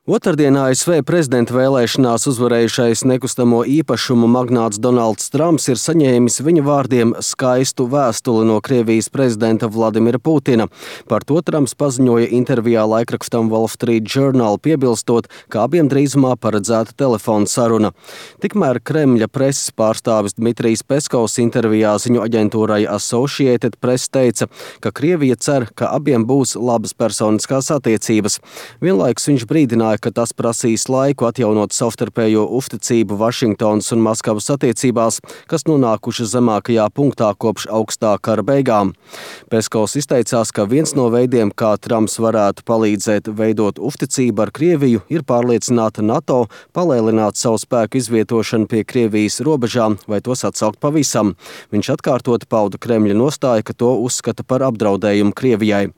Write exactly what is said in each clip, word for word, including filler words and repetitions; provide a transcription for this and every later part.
Otrdien A S V prezidenta vēlēšanās uzvarējušais nekustamo īpašumu magnāts Donalds Trumps ir saņēmis viņa vārdiem skaistu vēstuli no Krievijas prezidenta Vladimira Putina. Par to Trumps paziņoja intervijā laikrakstam Wall Street Journal, piebilstot, ka abiem drīzumā paredzēta telefona saruna. Tikmēr Kremļa preses pārstāvis Dmitrijs Peskovs intervijā ziņu aģentūrai Associated Press teica, ka Krievija cer, ka abiem būs labas personiskās attiecības. Vienlaikus viņš brīdināja, ka tas prasīs laiku atjaunot savstarpējo uzticību Vašingtonas un Maskavas attiecībās, kas nonākušas zemākajā punktā kopš augstā kara beigām. Peskovs izteicās, ka viens no veidiem, kā Trumps varētu palīdzēt veidot uzticību ar Krieviju, ir pārliecināt NATO palielināt savu spēku izvietošanu pie Krievijas robežām vai tos atsaukt pavisam. Viņš atkārtoti pauda Kremļa nostāju, ka to uzskata par apdraudējumu Krievijai.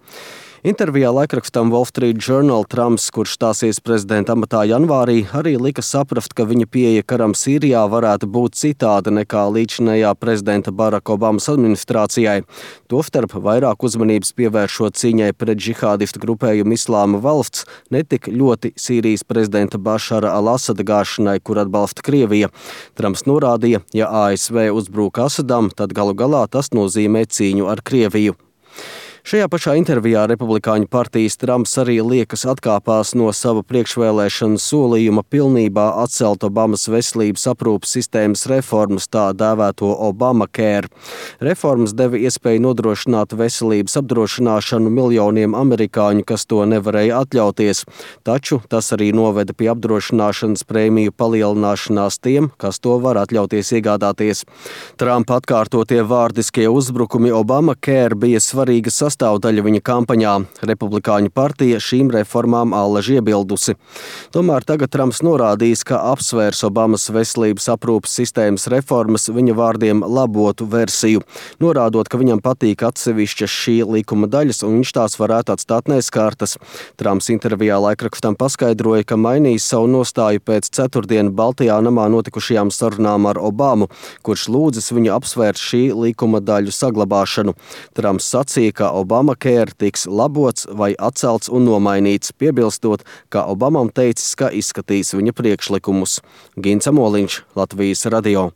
Intervijā laikrakstam Wall Street Journal Trumps, kurš stāsies prezidenta amatā janvārī, arī lika saprast, ka viņa pieeja karam Sīrijā varētu būt citāda nekā līdzinējā prezidenta Baraka Obamas administrācijai. Tostarp vairāk uzmanības pievēršot cīņai pret džihādistu grupējumu Islāma valsts, netik ļoti Sīrijas prezidenta Bašara al-Asada gāšanai, kur atbalsta Krievija. Trumps norādīja, ja A S V uzbrūk Asadam, tad galu galā tas nozīmē cīņu ar Krieviju. Šajā pašā intervijā Republikāņu partijas Trumps arī liekas atkāpās no sava priekšvēlēšanu solījuma pilnībā atcelt Obamas veselības aprūpes sistēmas reformas, tā dēvēto Obamacare. Reformas deva iespēju nodrošināt veselības apdrošināšanu miljoniem amerikāņu, kas to nevarēja atļauties, taču tas arī noveda pie apdrošināšanas prēmiju palielināšanās tiem, kas to var atļauties iegādāties. Trumpa atkārtotie vārdiskie uzbrukumi Obamacare bija svarīga sastāvdaļa sastāvdaļa viņa kampaņā. Republikāņu partija šīm reformām allaži iebildusi. Tomēr tagad Trumps norādījis, ka apsvērs Obamas veselības aprūpes sistēmas reformas viņa vārdiem labotu versiju, norādot, ka viņam patīk atsevišķas šī likuma daļas un viņš tās varētu atstāt neskārtas. Trumps intervijā laikrakstam paskaidroja, ka mainīs savu nostāju pēc ceturtdien Baltajā namā notikušajām sarunām ar Obamu, kurš lūdzis viņu apsvērt šī likuma daļu saglabāšanu. Trumps sacīja, ka Obamacare tiks labots vai atcelts un nomainīts, piebilstot, ka Obamam teicis, ka izskatīs viņa priekšlikumus. Gins Amoliņš, Latvijas radio.